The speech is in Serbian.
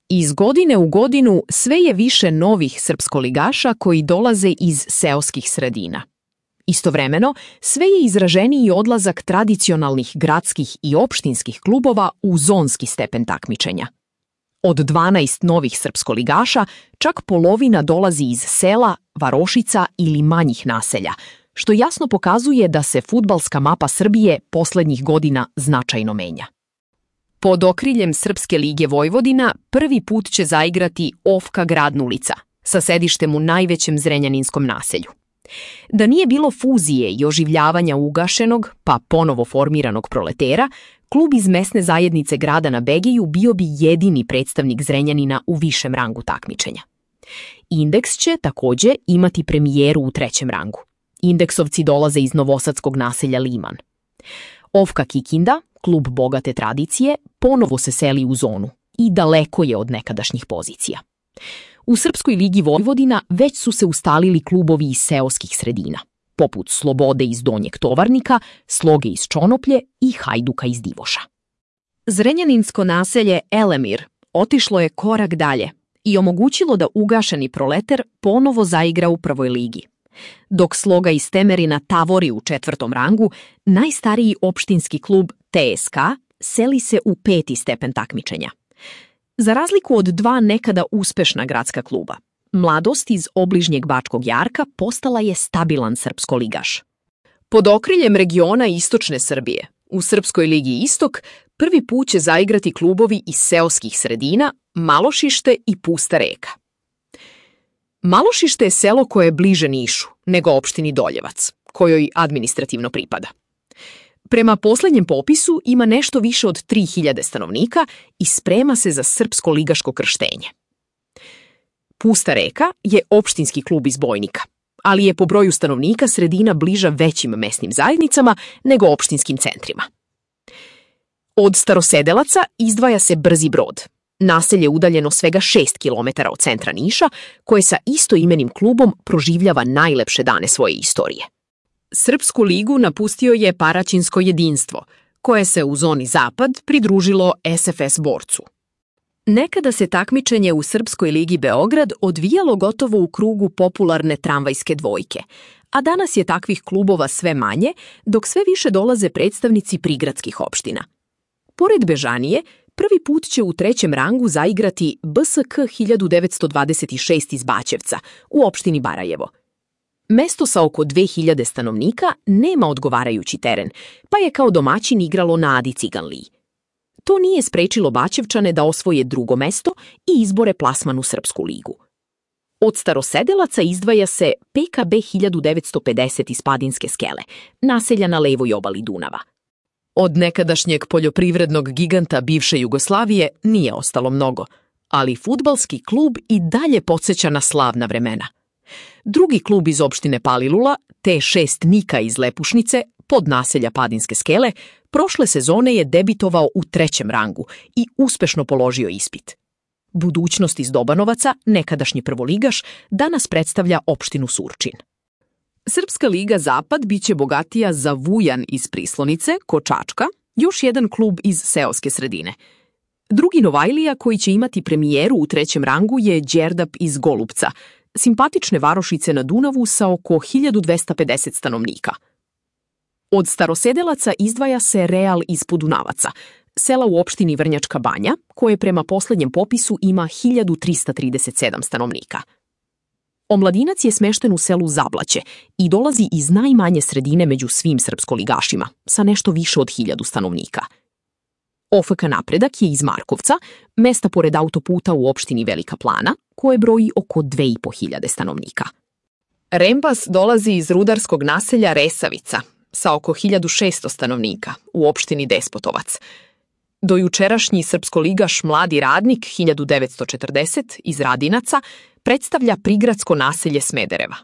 Iz godine u godinu sve je više novih srpskoligaša koji dolaze iz seoskih sredina. Istovremeno, sve je izraženiji odlazak tradicionalnih gradskih i opštinskih klubova u zonski stepen takmičenja. Od 12 novih srpskoligaša, čak polovina dolazi iz sela, varošica ili manjih naselja, što jasno pokazuje da se fudbalska mapa Srbije poslednjih godina značajno menja. Pod okriljem Srpske lige Vojvodina prvi put će zaigrati OFK Gradnulica, sa sedištem u najvećem zrenjaninskom naselju. Da nije bilo fuzije i oživljavanja ugašenog, pa ponovo formiranog Proletera, klub iz mesne zajednice grada na Begeju bio bi jedini predstavnik Zrenjanina u višem rangu takmičenja. Indeks će takođe imati premijeru u trećem rangu. Indeksovci dolaze iz novosadskog naselja Liman. OFK Kikinda, klub bogate tradicije, ponovo se seli u zonu i daleko je od nekadašnjih pozicija. U Srpskoj ligi Vojvodina već su se ustalili klubovi iz seoskih sredina, poput Slobode iz Donjeg Tovarnika, Sloge iz Čonoplje i Hajduka iz Divoša. Zrenjaninsko naselje Elemir otišlo je korak dalje i omogućilo da ugašeni Proleter ponovo zaigra u prvoj ligi. Dok Sloga iz Temerina tavori u četvrtom rangu, najstariji opštinski klub TSK seli se u peti stepen takmičenja. Za razliku od dva nekada uspešna gradska kluba, Mladost iz obližnjeg Bačkog Jarka postala je stabilan srpskoligaš. Pod okriljem regiona Istočne Srbije, u Srpskoj ligi Istok, prvi put će zaigrati klubovi iz seoskih sredina, Malošište i Pusta Reka. Malošište je selo koje je bliže Nišu nego opštini Doljevac, kojoj administrativno pripada. Prema poslednjem popisu ima nešto više od 3000 stanovnika i sprema se za srpsko ligaško krštenje. Pusta Reka je opštinski klub iz Bojnika, ali je po broju stanovnika sredina bliža većim mesnim zajednicama nego opštinskim centrima. Od Starosedelaca izdvaja se Brzi Brod, naselje udaljeno svega 6 km od centra Niša, koje sa istoimenim klubom proživljava najlepše dane svoje istorije. Srpsku ligu napustio je Paraćinsko jedinstvo, koje se u zoni Zapad pridružilo SFS Borcu. Nekada se takmičenje u Srpskoj ligi Beograd odvijalo gotovo u krugu popularne tramvajske dvojke, a danas je takvih klubova sve manje, dok sve više dolaze predstavnici prigradskih opština. Pored Bežanije, prvi put će u trećem rangu zaigrati BSK 1926 iz Baćevca u opštini Barajevo. Mesto sa oko 2000 stanovnika nema odgovarajući teren, pa je kao domaćin igralo na Adi Ciganliji. To nije sprečilo Baćevčane da osvoje drugo mesto i izbore plasman u Srpsku ligu. Od Starosedelaca izdvaja se PKB 1950 iz Padinske skele, naselja na levoj obali Dunava. Od nekadašnjeg poljoprivrednog giganta bivše Jugoslavije nije ostalo mnogo, ali fudbalski klub i dalje podsjeća na slavna vremena. Drugi klub iz opštine Palilula, T6 Nika iz Lepušnice, pod naselja Padinske skele, prošle sezone je debitovao u trećem rangu i uspešno položio ispit. Budućnost iz Dobanovaca, nekadašnji prvoligaš, danas predstavlja opštinu Surčin. Srpska liga Zapad biće bogatija za Vujan iz Prislonice, kod Čačka, još jedan klub iz seoske sredine. Drugi Novajlija koji će imati premijeru u trećem rangu je Đerdap iz Golubca, simpatične varošice na Dunavu sa oko 1250 stanovnika. Od Starosedelaca izdvaja se Real iz Podunavaca, sela u opštini Vrnjačka Banja, koje prema poslednjem popisu ima 1337 stanovnika. Omladinac je smešten u selu Zablaće i dolazi iz najmanje sredine među svim srpskoligašima, sa nešto više od 1000 stanovnika. OFK Napredak je iz Markovca, mesta pored autoputa u opštini Velika Plana, koje broji oko 2500 stanovnika. Rembas dolazi iz rudarskog naselja Resavica, sa oko 1600 stanovnika, u opštini Despotovac. Dojučerašnji srpskoligaš Mladi radnik 1940 iz Radinaca predstavlja prigradsko naselje Smedereva.